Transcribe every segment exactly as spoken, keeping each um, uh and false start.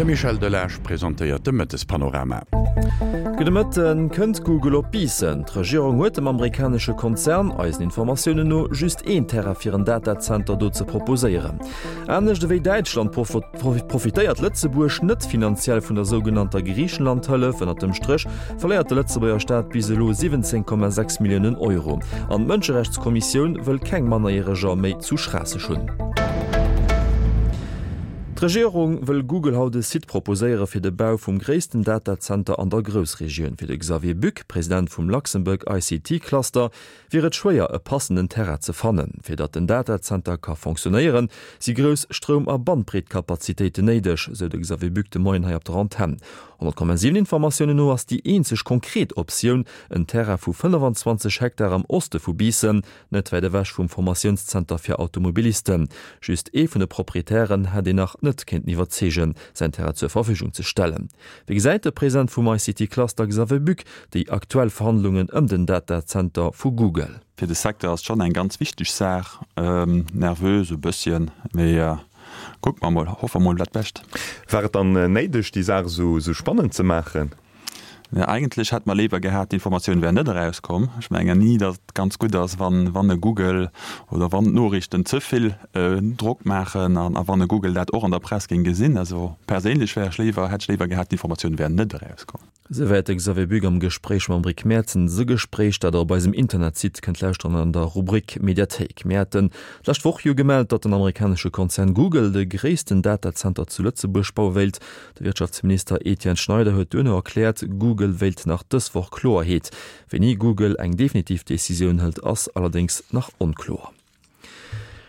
De Michel Delage presentéiert de Mëttespanorama. Gudde Mëtten. Kënnt Google op Biissen? D'Regierung huet dem amerikanesche Konzern, eisen Informatiounen no, just een Terrain fir en Datazenter do ze proposéieren. Anescht ewéi Däitschland profitéiert Lëtzebuerg net finanziell vun der sougenannter Griichenland-Hëllef. Ënnert dem Stréch verléiert de Lëtzebuerger Staat bis elo siwwenzéng Komma sechs Milliounen Euro. An d'Mënscherechtskommissioun wëll keng Mannerjäreger méi zu Schraasseg hunn. D'Regierung wëll Google haut e Site proposéiere fir de Bau vum gréissten Datazenter an der Groussregioun. Fir de Xavier Buck, President vum Luxembourg I C T Cluster, wier et schwéier e passenden Terrain ze fannen. Fir datt den Datazenter ka fonctionnéieren, si grouss Stroum a Bandbreetkapazitéiten néideg, sou de Xavier Buck de Moien hei op der Antenn. honnert Komma siwen Informatiounen no ass déi eenzeg konkret Optioun en Terrain vu fënnefanzwanzeg Hektar am Oste vu Biissen, net wäit ewech vum Formatiounszenter fir Automobilisten. Just ee vun de Proprietären hätt een nach net kéinten iwwerzeegen, säin Terrain zur Verfügung ze stellen. Wéi gesäit de President vum I C T Cluster Xavier Buck déi aktuell Verhandlungen ëm den Datazenter vu Google? Fir de Secteur ass et schonn eng ganz wichteg Saach. Nervös e bësschen, mee kucke mer mol, hoffe mol dat Bescht. War et dann néideg, déi Saach esou spannend ze maachen? Ja, eigentlech hätt mer léiwer gehat, d'Informatioun wär net erauskomm. Ech mengen ni, datt et ganz gutt ass, wann, wann e Google oder wann d'Noriichten ze vill Drock maachen an a wann e Google dat och an der Press géing gesinn. Also perséinlech wär ech léiwer, hätt ech léiwer gehat, d'Informatioun wär net erauskomm. Souwäit de Xavier Buck am Gespréich mam Rick Mertens. E Gespréich, dat der op eisem Internetsite kënnt lauschteren an der Rubrik Mediathéik. Mir haten d'lescht Woch jo gemellt, datt den amerikanesche Konzern Google de gréissten Datazenter zu Lëtzebuerg baue wéilt. De Wirtschaftsminister Etienne Schneider huet duerno erkläert, Google wéilt nach dës Woch Kloerheet. Wéini Google eng definitiv Decisioun hëlt, ass allerdéngs nach onkloer.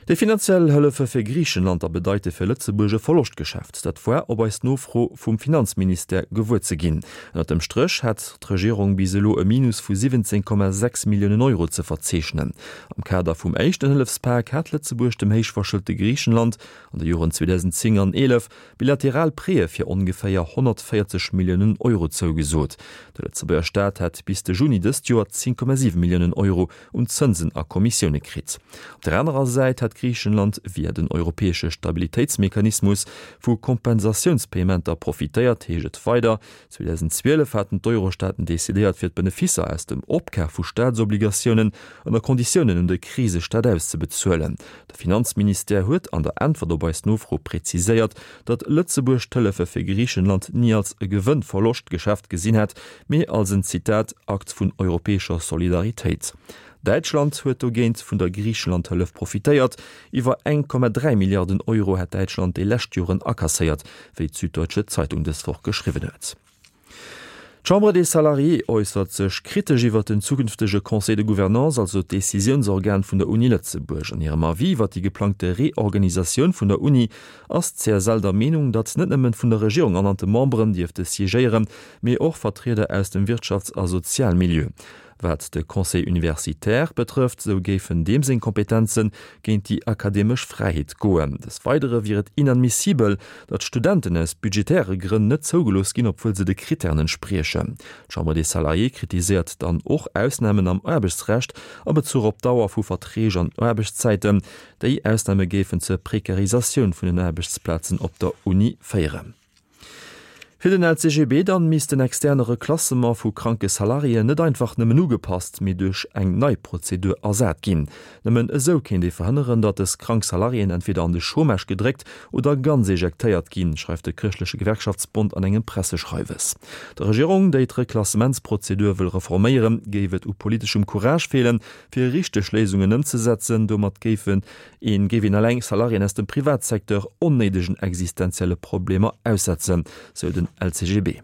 Déi finanziell Hëllefe fir Griichenland a bedeite fir Lëtzebuerg e Verloschtgeschäft. Dat war op eis Nofro vum Finanzministère gewuer ze ginn. Ënnert dem Stréch hätt d'Regierung bis elo e Minus vu siwwenzéng Komma sechs Milliounen Euro ze verzeechnen. Am Kader vum éischten Hëllefspak hat Lëtzebuerg dem héichverschëlte Griichenland an de Joren zweedausendzéng an eelef bilateral Prêtë fir ongeféier honnertvéierzeg Milliounen Euro zougesot. De Lëtzebuerger Staat hätt bis de Juni dëst Joer zéng Komma siwe Milliounen Euro un Zënsen a Kommissioune kritt. Op der anerer Säit hätt Griichenland via den europäesche Stabilitéitsmechanismus vu Kompensatiounspayementer profitéiert, heescht et weider. zweedausendzwielef haten d'Eurostaaten decidéiert, fir d'Beneficer aus dem Opkaf vu Staatsobligatiounen ënner Konditiounen un de Krisestaat auszebezuelen. De Finanzministère huet an der Äntwert op eis Nofro präziséiert, datt Lëtzebuerg d'Hëllefe fir Griichenland ni als e Gewënn-Verloscht-Geschäft gesinn hätt, mee als en, Zitat, Akt vun europäescher Solidaritéit. Däitschland huet dogéint vun der Griichenland-Hëllef profitéiert. Iwwer eng Komma dräi Milliarden Euro hätt Däitschland déi lescht Joren akasséiert, wéi d'Süddeutsche Zeitung dës Woch geschriwwen huet. D'Chambre des Salariés äussert sech kritesch iwwer den zukünftege Conseil de Gouvernance, also d'Decisiounsorgan vun der Uni Lëtzebuerg. An hirem Avis iwwer déi geplangte Reorganisatioun vun der Uni ass d'C S L der Meenung, datt net nëmmen vun der Regierung ernannte Memberen dierfte siégéieren, mee och Vertrieder aus dem Wirtschafts a Sozialmilieu. Wat de Conseil universitaire betrëfft, sou géifen deem seng Kompetenze géint déi akademesch Fräiheet goen. Des Weidere wier et inadmissibel, datt Studenten aus budgetäre Grënn net zougelooss ginn, obwuel se de Krittären entspriechen. D'Chambre des Salariés kritiséiert dann och Ausnamen am Aarbechtsrecht a Bezuch op d'Dauer vu Verträg an Aarbechtszäiten. Déi Ausname géifen zur Prekarisatioun vun den Aarbechtsplazen op der Uni féieren. Fir den L C G B dann misst den externe Reklassement vu kranke Salariéen net einfach nëmmen ugepasst, mee duerch eng nei Prozedur ersat ginn. Nëmmen esou kéint ee verhënneren, datt dës krank Salariéen entweder an de Chômage gedréckt oder ganz ejektéiert ginn, schreift de Chrëschtleche Gewerkschaftsbond an engem Presseschreiwes. Der Regierung, déi d'Reklassementsprozedur wëll reforméieren, géif et u politeschem Courage feelen, fir richteg Léisungen ëmzesetzen. Domat géifen een géif een eleng Salariéen aus dem Privatsecteur onnéidegen existenzielle Problemer aussetzen, sou den L C G B.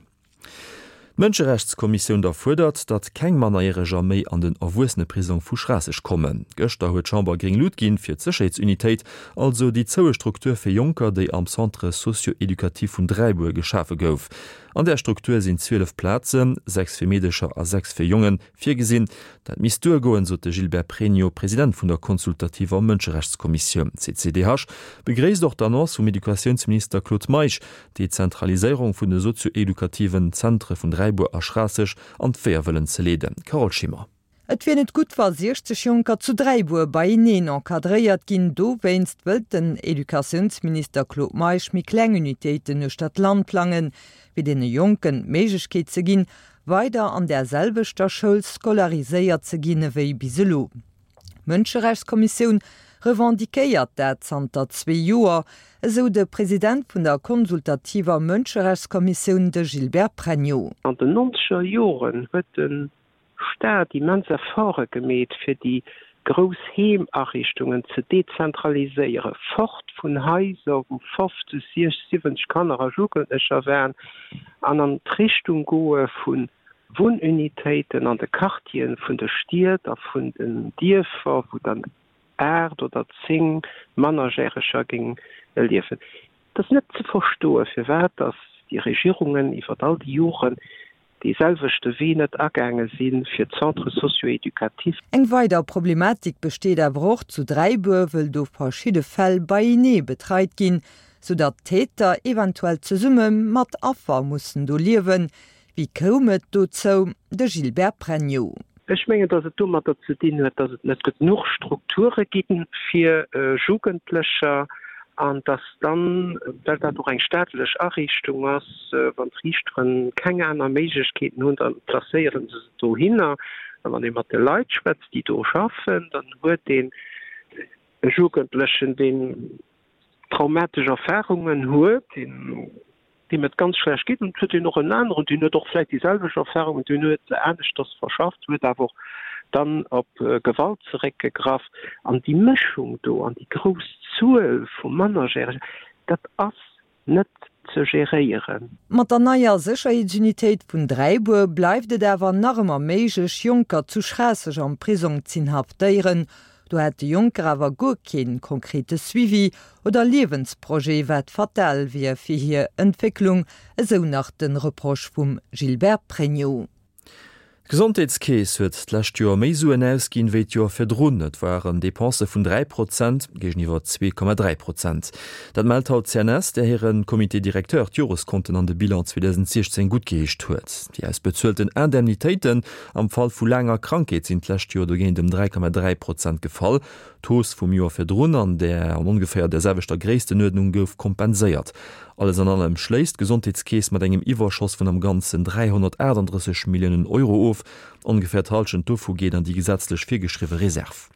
D'Mënscherechtskommissioun da fuerdert, datt keng Mannerjäreger méi an den Erwuesseneprisong vu Schraasseg kommen. Gëschter huet d'Chamber gréng Lut ginn fir d'Sécherheetsunitéit, also déi zoue Struktur fir Jonker, déi am Centre socio-éducatif vun Dräibuer geschafe gouf. An där Struktur sinn zwielef Plazen, sechs fir Meedecher a sechs fir Jongen, virgesinn. Dat misst duergoen, sot de Gilbert Pregno, President vun der consultativer Mënscherechtskommissioun. D'C C D H begréisst och d'Annonce vum Educatiounsminister Claude Meisch, d'Dezentraliséierung vun de sozio-edukativen Zentre vun Dräibuer a Schraasseg an d'Weeër wëllen ze leeden. Carole Schimmer. Et wier net gutt, wa siechzeg Jonker zu Dräibuer beieneen encadréiert ginn. Dowéinst wëllt den Educatiounsminister Claude Meisch méi kleng Unitéiten uechter d'Land plangen, fir deene Jonken d'Méiglechkeet ze ginn, weider an där selwechter Schoul scolariséiert ze ginn ewéi bis elo. D'Mënscherechtskommissioun revendiquéiert dat zanter zwee Joer, esou de President vun der konsultativer Mënscherechtskommissioun, de Gilbert Pregno. An den nonzeger Joren huet de Staat immens Efforte gemeet, fir déi grouss Heemariichtungen ze dezentraliséieren, fort vun Haiser, wou fofzeg, siechzeg, siwwenzeg Kanner a Jugendlecher waren, an an d'Richtung goe vu Wunnunitéiten an de Quartieren vun de Stied a vun den Dierfer, wou dann aacht oder zéng Mannerjäreger géing liewen. Et ass net ze verstoen, firwat dass déi Regierungen iwwer all déi Joren dee selwechte Wee net agaange si fir d'Centres socio-éducatifs. Eng weider Problematik besteet awer och zu Dräibuer, wëll do verschidde Fäll beienee betreit ginn, soudatt Täter eventuell zesumme mat Affer mussen do liewen. Wéi koum et dozou? De Gilbert Pregno. Ech mengen, datt et domatter ze dinn huet, datt et net genuch Strukture gi fir Jugendlecher an datt dann, well dat och eng staatlech Ariichtung ass, wann d'Riichtere keng aner Méiglechkeeten hunn, da placéiere se se dohinner. A wann ee mat de Leit schwätzt, déi do schaffen, dann huet een e Jugendlechen, deen traumatesch Erfarungen huet, deen deem et ganz schlecht geet, an et huet een och en aneren, deen huet och vläicht déi selwecht Erfahrungen, deen huet se aneschters verschafft, huet awer och dann op Gewalt zeréckgegraff. An déi Mëschung do an déi grouss Zuel vu Mannerjäregen, dat ass net ze geréieren. Mat der neier Sécherheetsunitéit vun Dräibuer bleift et awer nach ëmmer méiglech, Jonker zu Schraasseg am Prisong z'inhaftéieren. Do hätt de Jonker awer guer kee konkrete Suivi oder Liewensprojet, wat fatal wier fir hir Entwécklung, esou nach de Reproche vum Gilbert Pregno. D'Gesondheetskeess huet d'lescht Joer méi Suen ausginn, wéi d'Joer virdrun. Et waren Depensë vun dräi Prozent géigeniwwer zwee Komma dräi Prozent. Dat mellt haut d'CNS, där hire Comité directeur d'Joreskonten an de Bilan zweedausentsiechzéng guttgeheescht huet. Déi ausbezuelten Indemnitéiten am Fall vu laanger Krankheet sinn d'lescht Joer dogéint ëm dräi Komma dräi Prozent gefall. D'Hausse vum Joer virdrun an där an ongeféier där selwechter Gréisstenuerdnung gouf kompenséiert. Alles an allem schléisst d'Gesondheetskeess mat engem Iwwerschoss vun am Ganzen dräihonnertaachtanddrësseg Milliounen Euro of. Ongeféier d'Hallschent dovu geet an déi gesetzlech virgeschriwwe Reserv.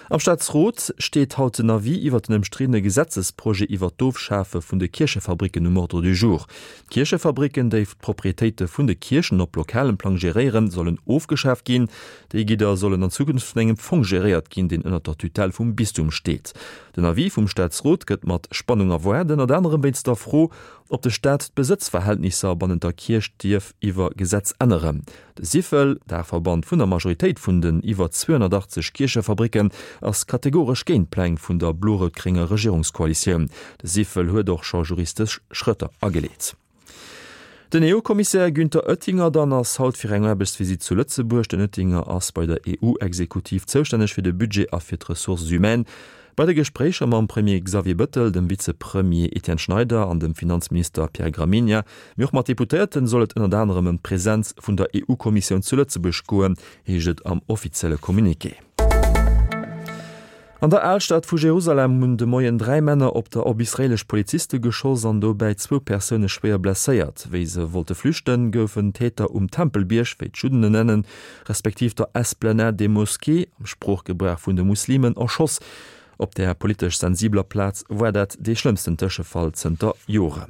Am Staatsrot steet haut den Avis iwwer den ëmstriddene Gesetzesprojet iwwer d'Ofschafe vun de Kierchefabricken um Ordre du jour. D'Kierchefabricken, déi d'Proprietéite vun de Kierchen op lokalem Plang geréieren, sollen ofgeschaaft ginn. Déi Gidder sollen an Zukunft vun engem Fong geréiert ginn, deen ënnert der Tutelle vum Bistum steet. Den Avis vum Staatsrot gëtt mat Spannung erwaart, ënnert anerem wéinst der Fro, ob de Staat d'Besëtzverhältnisser bannent der Kierch dierf iwwer Gesetz änneren. De Syfel, Daachverband vun der Majoritéit vun den iwwer zweehonnertachtzeg Kierchefabricken, ass kategoresch géint d'Pläng vun der blo-rout-grénger Regierungskoalitioun. De Syfel huet och scho juristesch Schrëtter ageleet. Den EU-Kommissär Günther Oettinger dann ass haut fir eng Aarbechtsvisitt zu Lëtzebuerg. Den Oettinger ass bei der EU-Exekutiv zoustänneg fir de Budget a fir d'Ressources humaines. Bei de Gespréicher mam Premier Xavier Bëttel, dem Vizepremier Etienne Schneider an dem Finanzminister Pierre Gramegna, mee och mat Deputéierten soll et ënnert anerem ëm d'Presenz vun der EU-Kommissioun zu Lëtzebuerg goen, heescht et am offizielle Communiqué. An der Alstad vu Jerusalem hunn de Moien dräi Männer op der op israeelesch Poliziste geschoss an dobäi zwou Persoune schwéier blesséiert. Wéi se wollte flüchten, goufen d'Täter um Tempelbierg, wéi d'Judden en nennen, respektiv der Esplanade des Mosquées, am Sproochgebrauch vun de Muslimen, erschoss. Op där politesch sensibeler Plaz war dat dee schlëmmsten Tëschefall zënter Joren.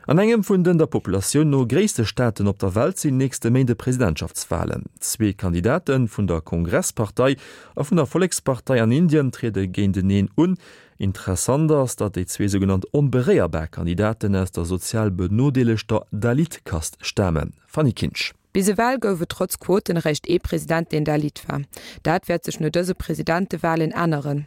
An engem vun den der Populatioun no gréisste Staaten op der Welt sinn nächste Méinde Presidentschaftswalen. Zwee Kandidate vun der Kongresspartei a vun der Vollekspartei an Indien triede géinteneen un. Interessant ass, datt déi zwee sougenannt onberéierbar Kandidaten aus der sozial benodeelegter Dalit-Kast stamen. Fanny Kinsch. Bis ewell gouf et trotz Quoten eréischt ee President, deen Dalit war. Dat wäert sech no dëse Presidentewalen änneren.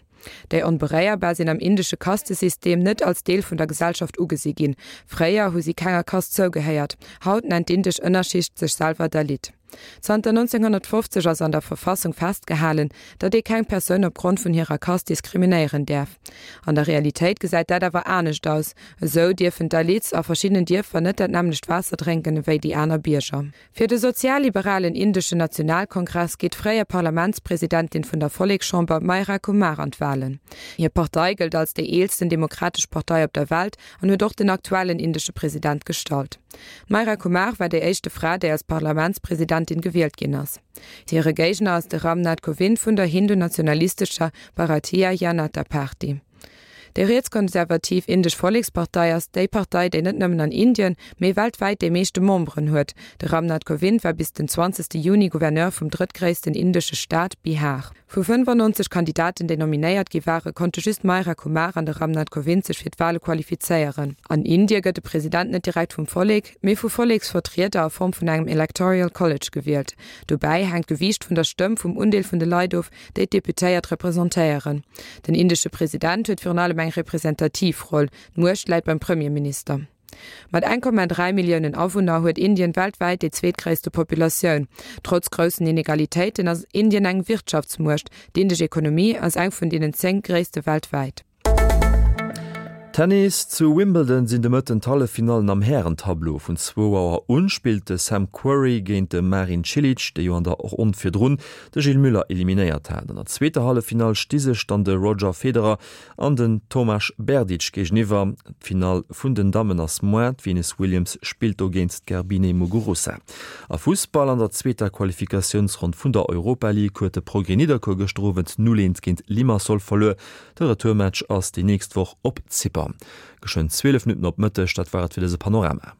Déi Onberéierbar sinn am indesche Kastesystem net als Deel vun der Gesellschaft ugesi ginn. Fréier hu si kenger Kast zougehéiert. Haut nennt d'indesch Ënnerschicht sech selwer Dalit. Zanter neunzehnhundertfofzeg ass an der Verfassung festgehalen, datt ee keng Persoun opgrond vun hirer Kast diskriminéieren däerf. An der Realitéit gesäit dat awer anescht aus, Esou dierfen d'Dalits a verschiddenen Dierfer net dat nämmlecht Waasser drénken ewéi déi aner Bierger. Fir de sozialliberalen indeschen Nationalkongress geet d'fréier Parlamentspresidentin vun der Vollekschamber Meira Kumar an d'Walen. Hir Partei gëllt als déi eelsten demokratesch Partei op der Welt an huet och den aktuellen indesche President gestallt. D'Meira Kumar war déi éischte Fra, déi als Parlamentspresidentin gewielt ginn ass. Hire Géigner ass de Ram Nath Kovind vun der hindu-nationalistescher Bharatiya Janata Party. Déi rietskonservativ Indesch Vollekspartei ass déi Partei, déi net nëmmen an Indien, mee weltwäit déi meeschte Memberen huet. De Ram Nath Kovind war bis den zwanzegste Juni Gouverneur vum drëttgréissten indesche Staat Bihar. Vu fënnfannonzeg Kandidaten, déi nominéiert gi ware, konnte just d'Meira Kumar an de Ram Nath Kovind sech fir d'Wale qualifizéieren. An Indie gëtt de President net direkt vum Vollek, mee vu Volleksvertrieder a Form vun engem Electoral College gewielt. Dobäi hänkt d'Gewiicht vun der Stëmm vum Undeel vun de Leit of, déi d'Deputéiert representéieren. Den indesche President huet virun allem eng representativ Roll, d'Muecht läit beim Premierminister. Mat eng Komma dräi Milliounen Awunner huet Indien weltwäit déi zweetgréisste Populatioun. Trotz groussen Inegalitéiten ass Indien eng Wirtschaftsmuecht, d'indesch Ekonomie ass eng vun deenen zéng gréisste weltwäit. Tennis, Zu Wimbledon sinn de Mëtten d'Halleffinallen am Hären-Tableau. Vun zwou Auer un spillt de Sam Querrey géint de Marin Cilic, dee jo an der Ronn virdrun de Gilles Müller eliminéiert hat. An der zweeter Halleffinall sti sech dann de Roger Federer an den Tomas Berdych géigeniwwer. D'Finall vun den Dammen ass moar, d'Venus Williams spillt do géint d'Garbine Muguruza. A Fussball, An der zweeter Qualifikatiounsronn vun der Europa League huet de Progrès Nidderkuer gëschter Owend null eent géint Limassol verluer. De Retourmatch ass déi nächst Woch op Zypern. Geschwënn zwielef Minutten op Mëtteg, dat war et fir dëse Panorama.